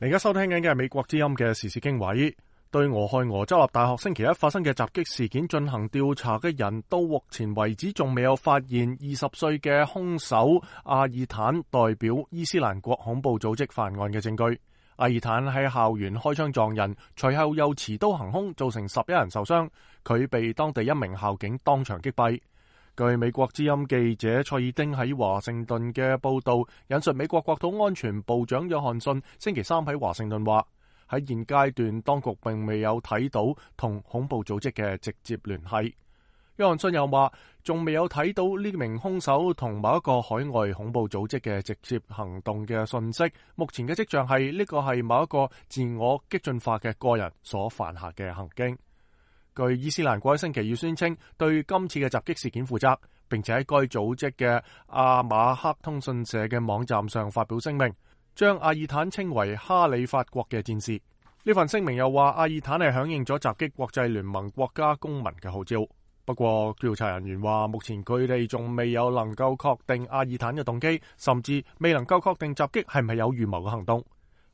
你而家收聽緊嘅係美國之音嘅時事經緯。對俄亥俄州立大學星期一發生嘅襲擊事件進行調查嘅人，到目前為止仲未有發現20歲嘅兇手阿爾坦代表伊斯蘭國恐怖組織犯案嘅證據。阿爾坦喺校園開槍撞人，隨後又持刀行兇，造成11人受傷。佢被當地一名校警當場擊斃。據美國之音記者蔡爾丁喺華盛頓嘅報道，引述美國國土安全部長約翰遜星期三喺華盛頓話，喺現階段當局並未有睇到同恐怖組織嘅直接聯繫。約翰遜又話，仲未有睇到呢名兇手同某一個海外恐怖組織嘅直接行動嘅訊息。目前嘅跡象係呢個係某一個自我激進化嘅個人所犯下嘅行徑。據伊斯蘭國喺星期二宣稱對今次嘅襲擊事件負責，並且喺該組織嘅阿馬克通訊社嘅網站上發表聲明，將阿爾坦稱為哈里發國嘅戰士。呢份聲明又話，阿爾坦係響應咗襲擊國際聯盟國家公民嘅號召。不過調查人員話，目前佢哋仲未有能夠確定阿爾坦嘅動機，甚至未能夠確定襲擊係咪有預謀嘅行動。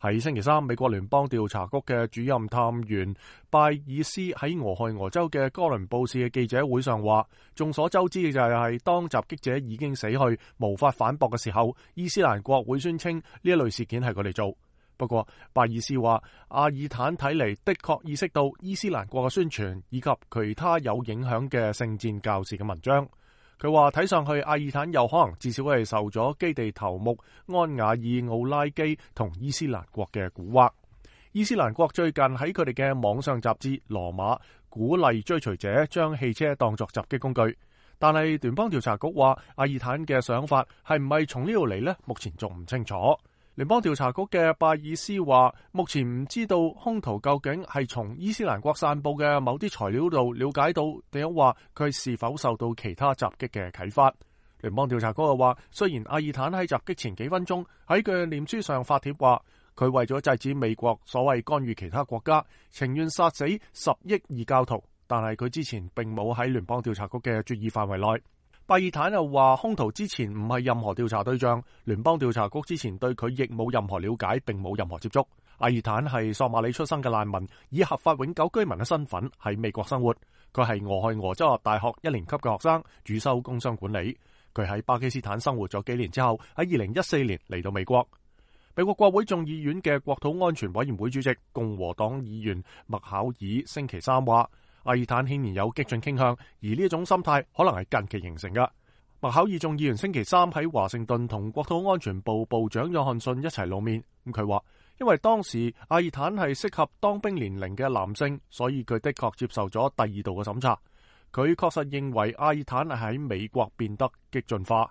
喺星期三，美國聯邦調查局嘅主任探員拜爾斯喺俄亥俄州嘅哥倫布市嘅記者會上話，眾所周知嘅就係當襲擊者已經死去，無法反駁嘅時候，伊斯蘭國會宣稱呢一類事件係佢哋做。不過拜爾斯話，阿爾坦睇嚟的確意識到伊斯蘭國嘅宣傳以及其他有影響嘅聖戰教士嘅文章。佢話睇上去阿爾坦有可能至少係受咗基地頭目安瓦爾奧拉基同伊斯蘭國嘅蠱惑。伊斯蘭國最近喺佢哋嘅網上雜誌羅馬鼓勵追隨者將汽車當作襲擊工具，但係聯邦調查局話阿爾坦嘅想法係唔係從呢度嚟呢？目前仲唔清楚。聯邦調查局嘅拜爾斯話，目前唔知道兇徒究竟係從伊斯蘭國散布嘅某啲材料度了解到，定係話佢是否受到其他襲擊嘅啟發。聯邦調查局又話，雖然阿爾坦喺襲擊前幾分鐘喺佢嘅臉書上發帖話，佢為咗制止美國所謂干預其他國家，情願殺死10億異教徒，但係佢之前並冇喺聯邦調查局嘅注意範圍內。拜爾坦又話，兇徒之前唔係任何調查對象，聯邦調查局之前對佢亦冇任何了解，並冇任何接觸。阿爾坦係索馬里出生嘅難民，以合法永久居民嘅身份喺美國生活。佢係俄亥俄州立大學1年級嘅學生，主修工商管理。佢喺巴基斯坦生活咗幾年之後，喺2014年嚟到美國。美國國會眾議院嘅國土安全委員會主席共和黨議員麥考爾星期三話，阿爾坦顯然有激進傾向，而呢一種心態可能係近期形成嘅。麥考爾眾議員星期三喺華盛頓同國土安全部部長約翰遜一齊露面。佢話，因為當時阿爾坦係適合當兵年齡嘅男性，所以佢的確接受咗第二度嘅審查。佢確實認為阿爾坦係喺美國變得激進化。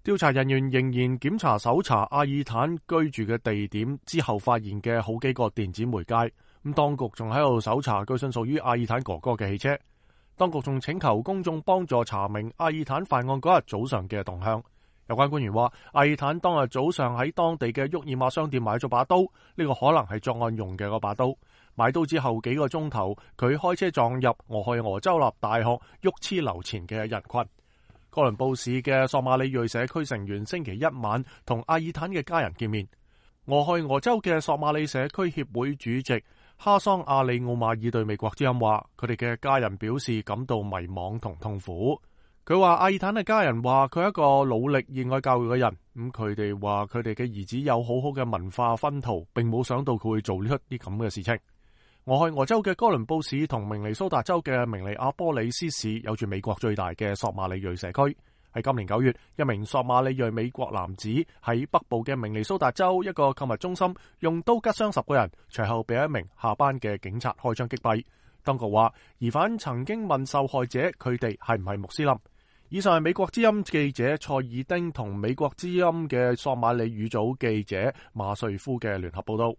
調查人員仍然檢查搜查阿爾坦居住嘅地點之後發現嘅好幾個電子媒介。當局仲喺度搜查據信屬於阿爾坦哥哥嘅汽車。當局仲請求公眾幫助查明阿爾坦犯案嗰日早上嘅動向。有關官員話，阿爾坦當日早上喺當地嘅沃爾瑪商店買咗把刀，呢個可能係作案用嘅嗰把刀。買刀之後幾個鐘頭，佢開車撞入俄亥俄州立大學沃茨流前嘅人群。哥倫布市嘅索馬里裔社區成員星期一晚同阿爾坦嘅家人見面。俄亥俄州嘅索馬里社區協會主席哈桑阿里奧馬爾對美國之音話，佢哋嘅家人表示感到迷惘同痛苦。佢話阿爾坦嘅家人話佢係一個努力熱愛教育嘅人，佢哋話佢哋嘅兒子有好好嘅文化熏陶，並冇想到佢會做呢啲咁嘅事情。俄亥俄州嘅哥倫布市同明尼蘇達州嘅明尼阿波里斯市有住美國最大嘅索馬里裔社區。喺今年9月，一名索馬里裔美國男子喺北部嘅明尼蘇達州一個購物中心用刀拮傷10個人，隨後被一名下班嘅警察開槍擊斃。當局話，疑犯曾經問受害者佢哋係唔係穆斯林。以上係美國之音記者蔡爾丁同美國之音嘅索馬里語組記者馬瑞夫嘅聯合報道。